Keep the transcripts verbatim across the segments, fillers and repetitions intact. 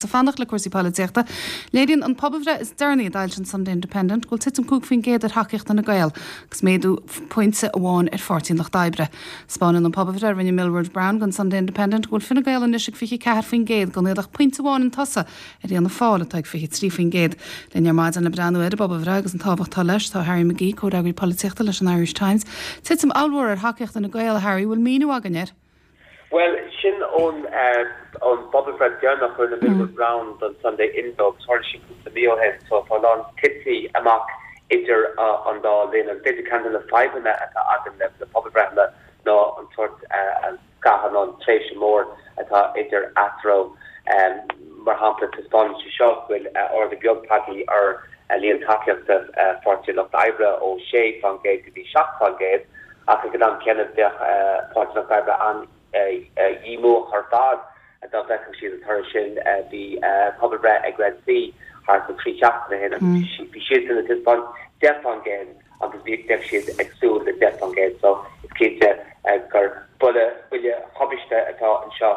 Ag fanacht le cúrsaí polaitíochta, léiríonn an pobalbhreith is deireanaí a d'fhoilsigh an Sunday Independent go bhfuil titim cúig faoin gcéad ar thacaíocht Fhine Gael agus méadú pointe amháin ar Pháirtí an Lucht Oibre. Spáineann an pobalbhreith a rinne Millward Brown don Sunday Independent go bhfuil Fine Gael anois ag fiche ceathair faoin gcéad gan iad ach pointe amháin chun tosaigh ar Fhianna Fáil atá ag fiche trí faoin gcéad. Linn ar maidin le breathnú ar an bpobalbhreith agus an tábhacht atá leis tá Harry McGee, comhfhreagraí polaitíochta leis an Irish Times. Titim ollmhór ar thacaíocht Fhine Gael Harry bhfuil míniú againn air. Well sin ón ón bpobalbhreith deireanach a rinne Millward Brown don Sunday Indo tharla sí cúpla mí ó shin so tá lán tití amach idir an dá linn an b'fhéidir ceann de na fadhbanna atá againn le le pobalbhreitheanna ná an sórt scaitheamh an tréimhse mór atá idir eatarthu mar shampla taispeánann sé seo go bhfuil ardú beag tagtha ar líon tacaíochta Pháirtí Lucht Oibre ó sé faoin gcéad go dtí seacht faoin gcéad ach ag an am céanna bheadh Páirtí Lucht Oibre an díomách ar fad dá bhfeicfeadh siad an toradh sin bhí pobalbhreith ag Red C thart ar trí seachtaine ó shin bhí siad ag taispeáint deich faoin gcéad agus bhí deich siad ag súil le deich faoin gcéad so is cinnte gur buille buille tubaiste atá anseo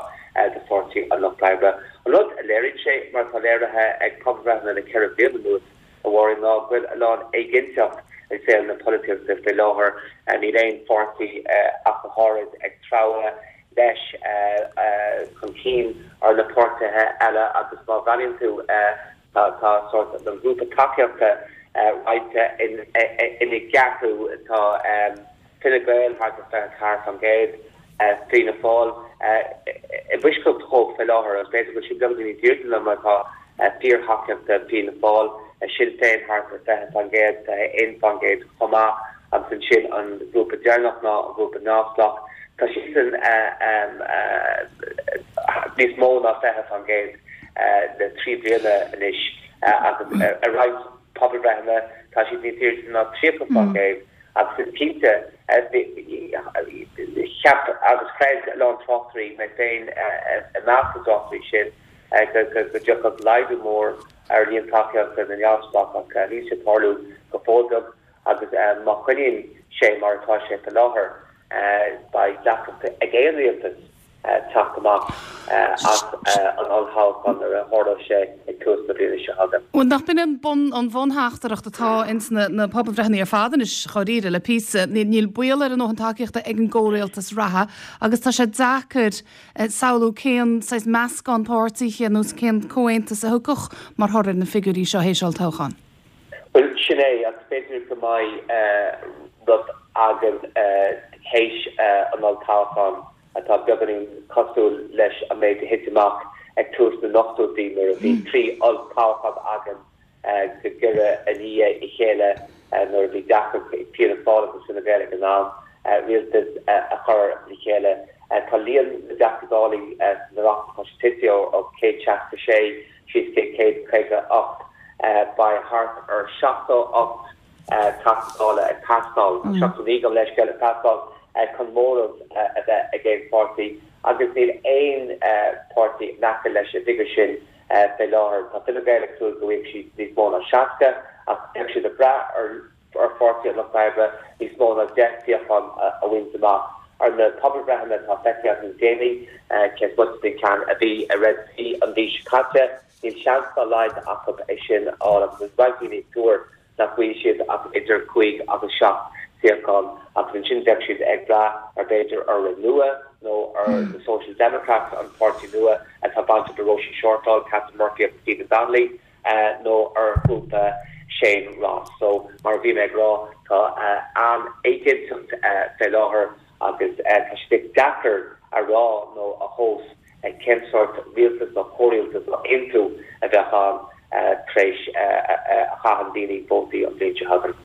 do Pháirtí an Lucht Oibre. An rud a léiríonn sé mar tá léirithe ag pobalbhreitheanna le ceithre bliana anuas a bhfuil ná go bhfuil a lán éiginnteacht i saol na polaitíochta faoi láthair níl aon pháirtí ach go háirid ag treabhadh leis chun cinn ar na páirtithe eile agus má bhreathnaíonn tú tá tá sórt an grúpa tacaíochta roinnte ina gceathrú tá Fine Gael thart ar fiche ceathair faoin gcéad Fianna Fáil i bhfoisceacht dhóibh faoi láthair agus b'fhéidir go bhfuil siad beagáinín níos airde ná mar atá fíorthacaíochta Fianna Fáil Sinn Féin thart ar fiche faoin gcéad fiche aon faoin gcéad chomh maith agus ansin an grúpa deireanach ná an grúpa neamhspleách Tá siadsan níos mó ná fiche faoin gcéad le trí bliana anois agus ar roinnt pobalbhreitheanna tá siad níos airde ná tríocha faoin gcéad agus is cinnte cheap agus chreid a lán tráchtairí mé féin i measc na dtráchtairí sin go dtiocfadh laghdú mór ar líon tacaíochta na neamhspleách ach níl sé tarlú go fóill beag agus má choinníonn sé mar atá sé faoi láthair beidh deacracht ag aon rialtas teacht amach as an olltoghchán nuair a tharlóidh sé ag tús na bliana seo chugainn. Bhuel nach b'in an bun an bhuntheachtaireacht atá ins na na pobalbhreitheanna ar fad anois dáiríre le píosa níl baol ar a ndóthain tacaíochta ag an gcomhrialtas reatha agus tá sé deacair samhlú cén saghas meascán páirtithe nó cén comhaontas a thiocfadh mar thoradh ar na figiúirí seo théis olltoghchán. Well sin é agus b'fhéidir go mbeidh rud againn théis an olltoghchán atá beagáinín cosúil leis an méid a thit amach ag tús na n-ochtóidí nuair a bhí trí olltoghchán againn go giorra i ndiaidh a chéile nuair a bhí deacracht ag Fianna Fáil agus Fine Gael ag an am rialtas a chur le chéile. Tá líon na dTeachtaí Dála san Oireachtas tá sé tite ó céad seasca sé síos go céad caoga ocht beidh thart ar seachtó ocht Teachta Dála ag teastáil seachtó naoi gabh mo leithscéal ag teastáil chun móramh a bheith ag aon pháirtí agus níl aon páirtí in aice leis an bhfigiúr sin fé láthair. Tá Fine Gael ag súil go bhfaighidh siad níos mó ná seasca ach beidh siad ag brath ar ar Pháirtí an Lucht Oibre níos mó ná deich suíochán a bhaint amach. Ar na pobalbhreitheanna atá feicthe againn le déanaí cé is moite den ceann a bhí ag Red C an mhí seo caite, níl seans dá laghad acu é sin a fháil agus is roinnt daoine ag tuar nach bhfaighidh siad ach idir cúig agus seacht suíochán agus ansin bheadh siad ag brath ar b'fhéidir ar Renua nó ar na Social Democrats an páirtí nua atá bainteach le Róisín Shortall, Catherine Murphy agus Stephen Donnelly nó ar ghrúpa Shane Ross. So mar a bhí mé ag rá tá an-éiginnteacht fé láthair agus tá sé deacair a rá nó a thomhas cén sórt rialtas nó comhrialtas nó aontú a bheadh ann tar éis a chaitheann daoine vótaí an bhliain seo chugainn.